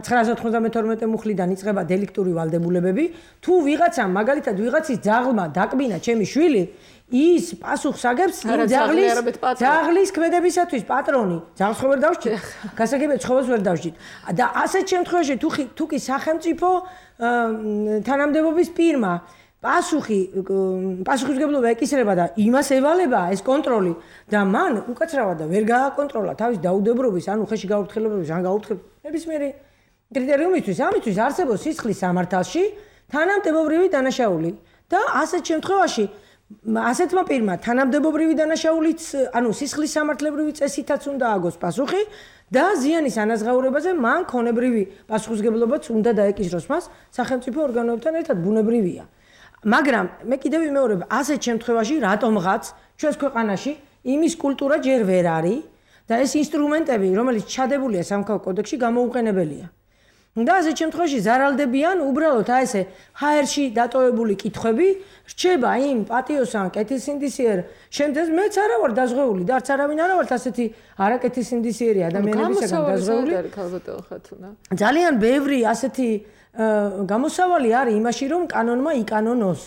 ცხრაას ოთხმოცდამეთორმეტე მუხლიდან იწყება დელიქტური ვალდებულებები. თუ ვიღაცამ, მაგალითად, ვიღაცის ძაღლმა დაკბინა ჩემი შვილი, ის პასუხს აგებს იმ ძაღლის ძაღლის ქმედებისათვის პატრონი. ძაღლს ხო ვერ დავსჯით? გასაგებია ცხოველს ვერ დავსჯით. და ასეთ შემთხვევაში თუ თუ კი სახელმწიფო თანამდებობის პირმა პასუხი პასუხისმგებლობა ეკისრება და იმას ევალება ეს კონტროლი და მან უკაცრავად და ვერ გააკონტროლა თავის დაუდებრობის ანუ ხელში გაუფრთხილებლობის ან გაუფრთხილებლობის ნებისმიერი კრიტერიუმისთვის ამისთვის არსებობს სისხლის სამართალში თანამდებობრივი დანაშაული და ასეთ შემთხვევაში ასეთმა პირმა თანამდებობრივი დანაშაულიც ანუ სისხლის სამართლებრივი წესითაც უნდა აგოს პასუხი და ზიანის ანაზღაურებაზე მან ქონებრივი პასუხისმგებლობაც უნდა დაეკისროს მას სახელმწიფო ორგანოებთან ერთად ბუნებრივია მაგრამ მე კიდევ ვიმეორებ ასეთ შემთხვევაში რატომღაც ჩვენს ქვეყანაში იმის კულტურა ჯერ ვერ არის და ეს ინსტრუმენტები რომელიც ჩადებულია სამხატვრო კოდექსში გამოუყენებელია და ასეთ შემთხვევაში ზარალდებიან უბრალოდ აი ესე ჰაერში დატოვებული კითხვები რჩება იმ პატიოსან კეთილსინდისიერ შემთხვევაში მეც არა ვარ დაზღვეული და არც არავინ არა ვარ ასეთი არაკეთილსინდისიერი ადამიანებისგან დაზღვეული ძალიან ბევრი ასეთი გამოსავალი არის იმაში რომ კანონმა იკანონოს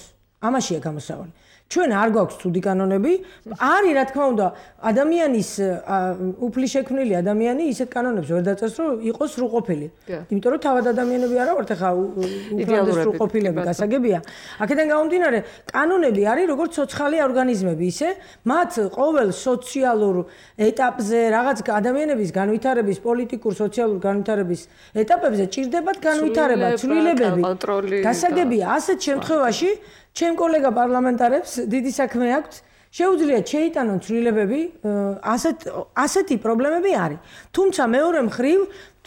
ამაშია გამოსავალი ჩვენ არ გვაქვს ცუდი კანონები არის რა თქმა უნდა ადამიანის უფლის შექმნილი ადამიანი ისეთ კანონებს ვერ დაწეს რომ იყოს სრულყოფილი იმიტომ რომ თავად ადამიანები არა ვართ ახლა უფლამდე სრულყოფილები გასაგებია აქედან გამომდინარე კანონები არის როგორც ცოცხალი ორგანიზმები ისე მათ ყოველ სოციალურ ეტაპზე რაღაც ადამიანების განვითარების პოლიტიკურ სოციალურ განვითარების ეტაპებზე ჭირდებათ განვითარება ცვლილებები გასაგებია ასეთ შემთხვევაში ჩემ კოლეგა პარლამენტარებს დიდი საქმე აქვს შეუძლიათ შეიტანონ ცვლილებები ასეთ ასეთი პრობლემები არის თუმცა მეორე მხრივ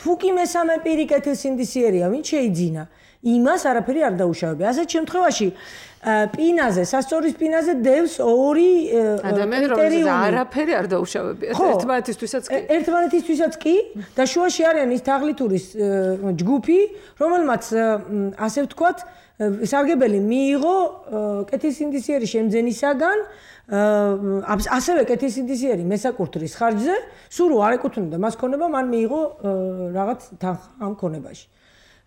თუ კი მესამე პირი კეთილსინდისიერია ვინ შეიძინა იმას არაფერი არ დაუშავებია ასეთ შემთხვევაში პინაზე სასწორის პინაზე დევს ორი კრიტერიუმი არაფერი არ დაუშავებია ერთმანეთისთვისაც კი ერთმანეთისთვისაც კი და შუაში არიან ის თაღლითურის ჯგუფი რომელმაც ასე ვთქვათ სარგებელი მიიღო კეთილსინდისიერი შემძენისაგან ასევე კეთილსინდისიერი მესაკურთხრის ხარჯზე სულ არ ეკუთვნოდა მას ქონება მან მიიღო რაღაც თანხა ამ ქონებაში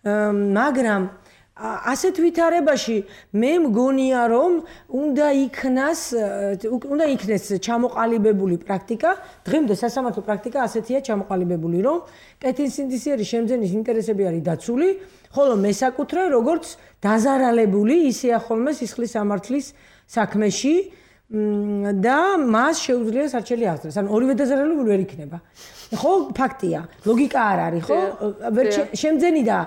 მაგრამ ასეთ ვითარებაში მე მგონია რომ უნდა იქნას უნდა იქნეს ჩამოყალიბებული პრაქტიკა დღემდე სასამართლო პრაქტიკა ასეთია ჩამოყალიბებული რომ კეთილსინდისიერი შემძენის ინტერესები არის დაცული ხოლო მესაკუთრე როგორც დაზარალებული ისეა ხოლმე სისხლის სამართლის საქმეში და მას შეუძლია სარჩელი აღძრას ანუ ორივე დაზარალებული ვერ იქნება ხო ფაქტია ლოგიკა არ არის ხო შემძენი და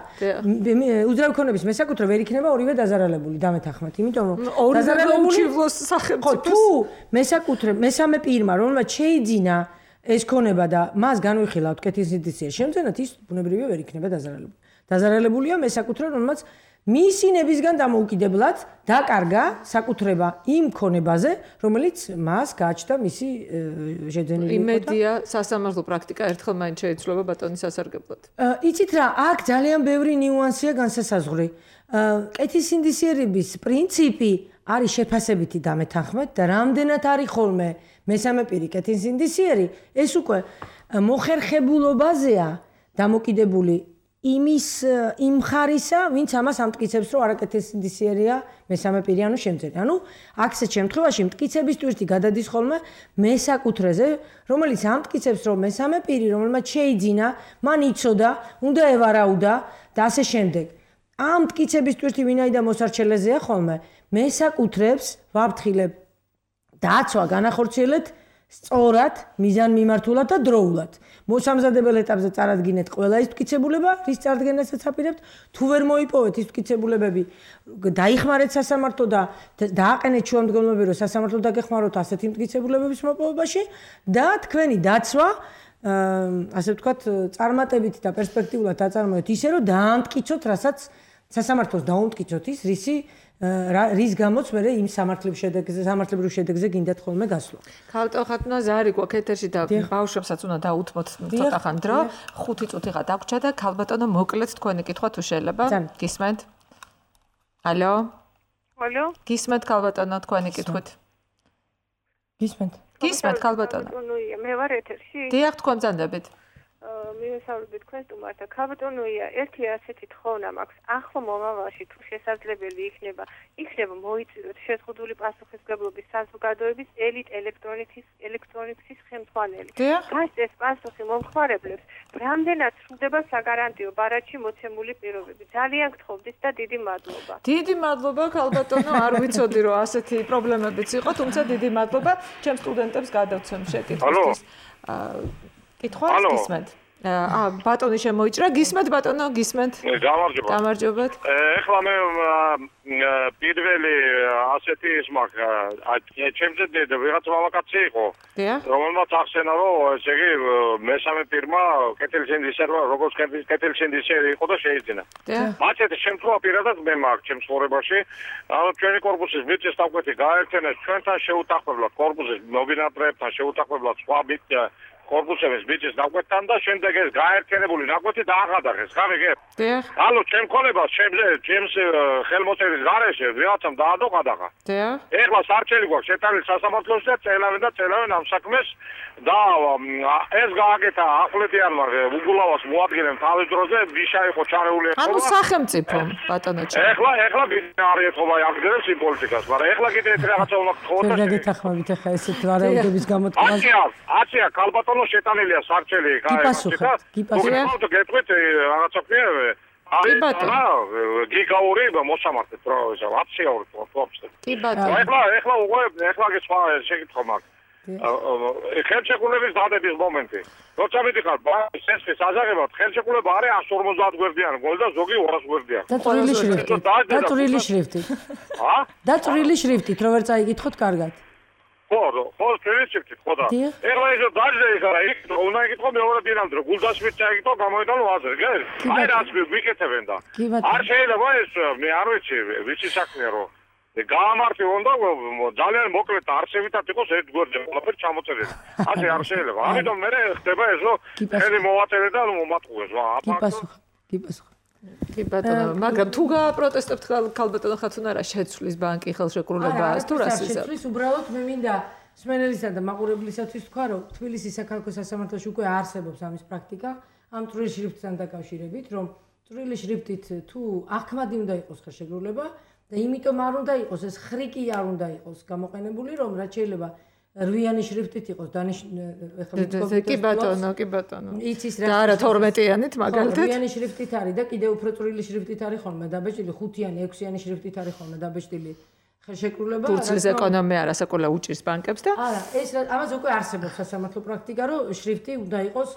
უძრავი ქონების მესაკუთრე ვერ იქნება ორივე დაზარალებული დამეთანხმეთ იმიტომ რომ დაზარალებული სახელმწიფო თუ მესაკუთრე მესამე პირმა რომელმაც შეიძინა ეს ქონება და მას განვიხილავთ კეთილსინდისიერ შემძენად ის ბუნებრივია ვერ იქნება დაზარალებული დაზარალებულია მესაკუთრე რომელმაც მისი ნებისგან დამოუკიდებლად დაკარგა საკუთრება იმ ქონებაზე, რომელიც მას გააჩნდა მისი შეძენილი იყო. იმედია სასამართლო პრაქტიკა ერთხელ მაინც შეიცვლება ბატონის სასარგებლოდ. იცით რა, აქ ძალიან ბევრი ნიუანსია განსასაზღვრი. კეთილსინდისიერების პრინციპი არის შეფასებითი დამეთანხმეთ და რამდენად არის ხოლმე მესამე პირი კეთილსინდისიერი, ეს უკვე მოხერხებულობაზეა დამოკიდებული იმის იმ ხარისა, ვინც ამას ამტკიცებს, რომ არაკეთილსინდისიერია მესამე პირი, ანუ შემძენი. ანუ აქეთ შემთხვევაში მტკიცების ტვირთი გადადის ხოლმე მესაკუთრეზე, რომელიც ამტკიცებს, რომ მესამე პირი, რომელმაც შეიძინა, მან იცოდა, უნდა ევარაუდა და ასე შემდეგ. ამ მტკიცების ტვირთი ვინაიდან მოსარჩელეზეა ხოლმე, მესაკუთრებს ვაფრთხილებ დაცვა განახორციელეთ სწორად, მიზანმიმართულად და დროულად. მოსამზადებელ ეტაპზე წარადგინეთ ყველა ის მტკიცებულება, რის წარდგენასაც აპირებთ, თუ ვერ მოიპოვეთ ის მტკიცებულებები, დაიხმარეთ სასამართლო და დააყენეთ შუამდგომლობები, რომ სასამართლო დაგეხმაროთ ასეთი მტკიცებულებების მოპოვებაში და თქვენი დაცვა, ასე ვთქვათ, წარმატებით და პერსპექტიულად დაწარმოეთ ისე, რომ დაამტკიცოთ, რასაც სასამართლოს დაუმტკიცოთ ის, რისი რის გამოც მე იმ სამართლებრივ შედეგზე სამართლებრივ შედეგზე გინდათ ხოლმე გასვლა. ქალბატონ ხათუნა ზარი გვაქვს ეთერში და ბავშვებსაც უნდა დაუთმოთ ცოტა ხან დრო. ხუთი წუთი ხა დაგვრჩა და ქალბატონო მოკლედ თქვენი კითხვა თუ შეიძლება. გისმენთ? ალო? ალო? გისმენთ ქალბატონო თქვენი კითხვით? გისმენთ. გისმენთ ქალბატონო. ქალბატონოია, მე ვარ ეთერში. დიახ, თქვენ ბრძანდებით. მინუსავლებით თქვენს სტუმართა ქალბატონოია, ერთი ასეთი თხოვნა მაქვს. ახლა მომავალში თუ შესაძლებელი იქნება, იქნება მოიწვიოთ შეზღუდული პასუხისმგებლობის საზოგადოების ელიტ ელექტრონიკის ელექტრონიკის ხელმძღვანელი. მას ეს პასუხი მომხმარებლებს რამდენად სრულდება საგარანტიო ბარათში მოცემული პირობები. ძალიან გთხოვდით და დიდი მადლობა. დიდი მადლობა ქალბატონო, არ ვიცოდი რომ ასეთი პრობლემებიც იყო, თუმცა დიდი მადლობა ჩემ სტუდენტებს გადავცემ შეკითხვისთვის. კითხვა გისმენთ. აა ბატონი შემოიჭრა, გისმენთ ბატონო, გისმენთ. გამარჯობა. გამარჯობათ. ეხლა მე პირველი ასეთი ის მაქვს, ჩემზე ვიღაც მამაკაცი იყო. დიახ. რომელმაც ახსენა რომ ესე იგი მესამე ფირმა კეთილშენდისერვა, როგორც კეთილშენდისერი იყო და შეიძინა. დიახ. მათეთ შემთხვევა პირადად მე მაქვს ჩემს ცხოვრებაში. ანუ ჩვენი კორპუსის მიწის დაკვეთი გაერთიანეს ჩვენთან შეუთანხმებლად, კორპუსის მობინატრეებთან შეუთანხმებლად სხვა კორპუსების მიწის დაკვეთთან და შემდეგ ეს გაერთიანებული ნაკვეთი დაახადახეს. გამიგებ? დიახ. ანუ ჩემ ქოლებას ჩემზე ჩემს ხელმოწერის გარეშე ვიღაცამ დაადოყადახა. დიახ. ეხლა სარჩელი გვაქვს შეტანილი სასამართლოში და წელავენ და წელავენ ამ საქმეს და ეს გააკეთა ახვლედიანმა უგულავას მოადგინემ თავის დროზე ვიშა იყო ჩარეული ეხლა. ანუ სახელმწიფო ბატონო ჩემ. ეხლა ეხლა არ ეთქობა აღგერებს იმ პოლიტიკას, მაგრამ ეხლა კიდე ეს რაღაცა უნდა გთხოვოთ. რა გეთახმებით ახლა ესეთ ვარაუდების გამოთქმას? აცია, აცია ქალბატონო შეტანილია სარჩელი გააკეთა. გიპასუხეთ, გიპასუხეთ. გეტყვით რაღაცა ქვია კი ბატონო. გიგაური მოსამართლეთ რა ესა აციური თორფსე. კი ბატონო. ეხლა ეხლა უკვე ეხლა კი სხვა შეკითხვა მაქვს. ხელშეკრულების დადების მომენტი. როცა მიდიხარ სესხის აზაღებად, ხელშეკრულება არის εκατს ორმოცდაათ გვერდიანი, გოლდა ზოგი ორას გვერდიანი. დაწვრილი შრიფტით. დაწვრილი შრიფტით. ა? დაწვრილი შრიფტით, რო ვერ წაიგითხოთ კარგად. ხო, ხო, დაწვრილი შრიფტით, ხო და. ეხლა ის დაჟე იხარა, იქ უნდა იკითხო მეორე დინამდე, გულდასმით წაიგითო, გამოიტანო აზრი, გე? აი რაც ვიკეთებენ და. არ შეიძლება ეს, მე არ ვიცი, ვიცი საქმეა რომ გაამართი უნდა ძალიან მოკლედ არსებითად იყოს ერთ გვერდზე ყველაფერი ჩამოწერილი. ასე არ შეიძლება. ამიტომ მე ხდება ეს რომ ხელი მოვაწერე და მომატყუეს. გიპასუხა, გიპასუხა. კი ბატონო, მაგრამ თუ გააპროტესტებთ ქალბატონო ხათუნარა შეცვლის ბანკი ხელშეკრულებას თუ რას იზარდ? შეცვლის უბრალოდ მე მინდა სმენელისა და მაყურებლისათვის თქვა რომ თბილისის საქალაქო სასამართლოში უკვე არსებობს ამის პრაქტიკა ამ წვრილი შრიფტთან დაკავშირებით, რომ წვრილი შრიფტით თუ ახმადი უნდა იყოს ხელშეკრულება და იმიტომ არ უნდა იყოს ეს ხრიკი არ უნდა იყოს გამოყენებული რომ რაც შეიძლება რვიანი შრიფტით იყოს დანიშნული კი ბატონო კი ბატონო იცის რა და არა თორმეტიანით მაგალითად რვიანი შრიფტით არის და კიდევ უფრო წვრილი შრიფტით არის ხოლმე დაბეჭდილი ხუთიანი ექვსიანი შრიფტით არის ხოლმე დაბეჭდილი ხელშეკრულება თურქეთის ეკონომია არასაკოლა უჭირს ბანკებს და არა ეს ამაზე უკვე არსებობს სასამართლო პრაქტიკა რომ შრიფტი უნდა იყოს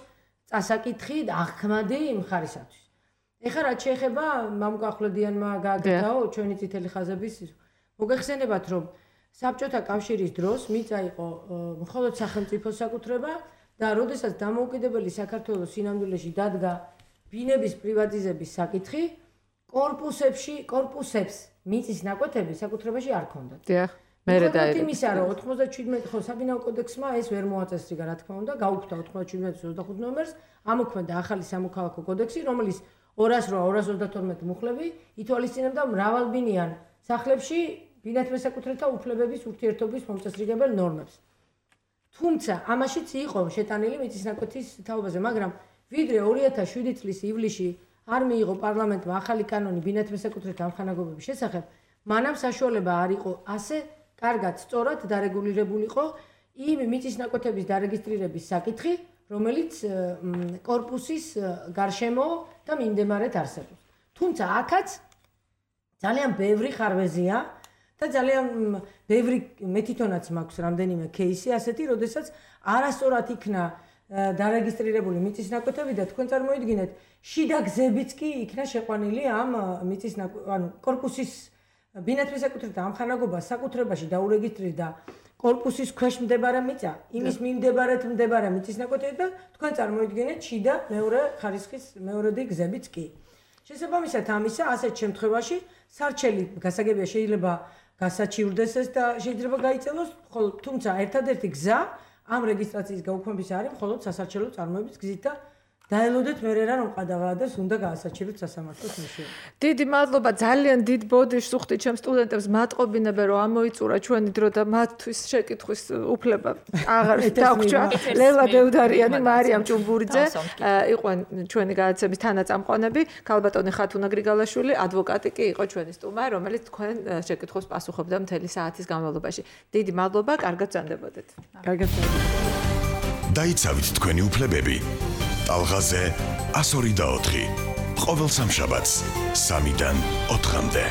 წასაკითხი და ახმადი იმ ხარისათვის ეხლა რაც შეეხება მამუკახვლედიანმა გააკეთაო ჩვენი წითელი ხაზების მოგეხსენებათ რომ საბჭოთა კავშირის დროს მიწა იყო მხოლოდ სახელმწიფოს საკუთრება და როდესაც დამოუკიდებელი საქართველოს სინამდვილეში დადგა ბინების პრივატიზების საკითხი კორპუსებში კორპუსებს მიწის ნაკვეთები საკუთრებაში არ ქონდათ. დიახ, მერე დაერქვა. იმისა რომ ოცდაშვიდმეტი ხო საბინაო კოდექსმა ეს ვერ მოაწესრიგა რა თქმა უნდა, გაუქმდა ოცდაშვიდმეტი ოცდახუთი ნომერს, ამოქმედა ახალი სამოქალაქო კოდექსი, რომელიც ორას რვა ორას ოცდათორმეტი მუხლები ითვალისწინებდა მრავალბინიან სახლებში ბინათმესაკუთრეთა უფლებების ურთიერთობის მომწესრიგებელ ნორმებს. თუმცა ამაშიც იყო შეტანილი მიწის ნაკვეთის თაობაზე, მაგრამ ვიდრე ორი ათას შვიდი წლის ივლისში არ მიიღო პარლამენტმა ახალი კანონი ბინათმესაკუთრეთა ამხანაგობების შესახებ, მანამ საშუალება არ იყო ასე კარგად სწორად დარეგულირებულიყო იმ მიწის ნაკვეთების დარეგისტრირების საკითხი, რომელიც კორპუსის გარშემო და მიმდებარედ არსებობს. თუმცა აქაც ძალიან ბევრი ხარვეზია და ძალიან ბევრი მე თვითონაც მაქვს რამდენიმე кейსი ასეთი, როდესაც არასწორად იქნა დარეგისტრირებული მიწის ნაკვეთები და თქვენ წარმოიდგინეთ, შიდა გზებიც კი იქნა შეყვანილი ამ მიწის ანუ კორპუსის ბინათმესაკუთრეთა ამხანაგობა საკუთრებაში დაურეგისტრირდა კორპუსის ქვეშ მდებარე მიწა, იმის მიმდებარედ მდებარე მიწის ნაკვეთები და თქვენ წარმოიდგინეთ შიდა მეორე ხარისხის მეორედი გზებიც კი. შესაბამისად ამისა, ასეთ შემთხვევაში სარჩელი გასაგებია შეიძლება გასაჩივრდეს ეს და შეიძლება გაიწელოს, ხოლო თუმცა ერთადერთი გზა ამ რეგისტრაციის გაუქმების არის მხოლოდ სასარჩელო წარმოების გზით და დაელოდეთ მერე რა რომ ყადაღადეს უნდა გაასაჩეროთ სასამართლოს ნიშნები. დიდი მადლობა, ძალიან დიდ ბოდიშს უხდით ჩემ სტუდენტებს, მატყობინებენ რომ ამოიწურა ჩვენი დრო და მათთვის შეკითხვის უფლება აღარ დაგვრჩა. ლელა დევდარიანი, მარიამ ჭუმბურიძე იყვნენ ჩვენი გადაცემის თანაწამყვანები, ქალბატონი ხათუნა გრიგალაშვილი, ადვოკატი კი იყო ჩვენი სტუმარი, რომელიც თქვენ შეკითხვას პასუხობდა მთელი საათის განმავლობაში. დიდი მადლობა, კარგად ბრძანდებოდეთ. კარგად ბრძანდებოდეთ. დაიცავით თქვენი უფლებები. ტალღაზე ასორი და ოთხი. ყოველ სამშაბათს სამიდან ოთხამდე.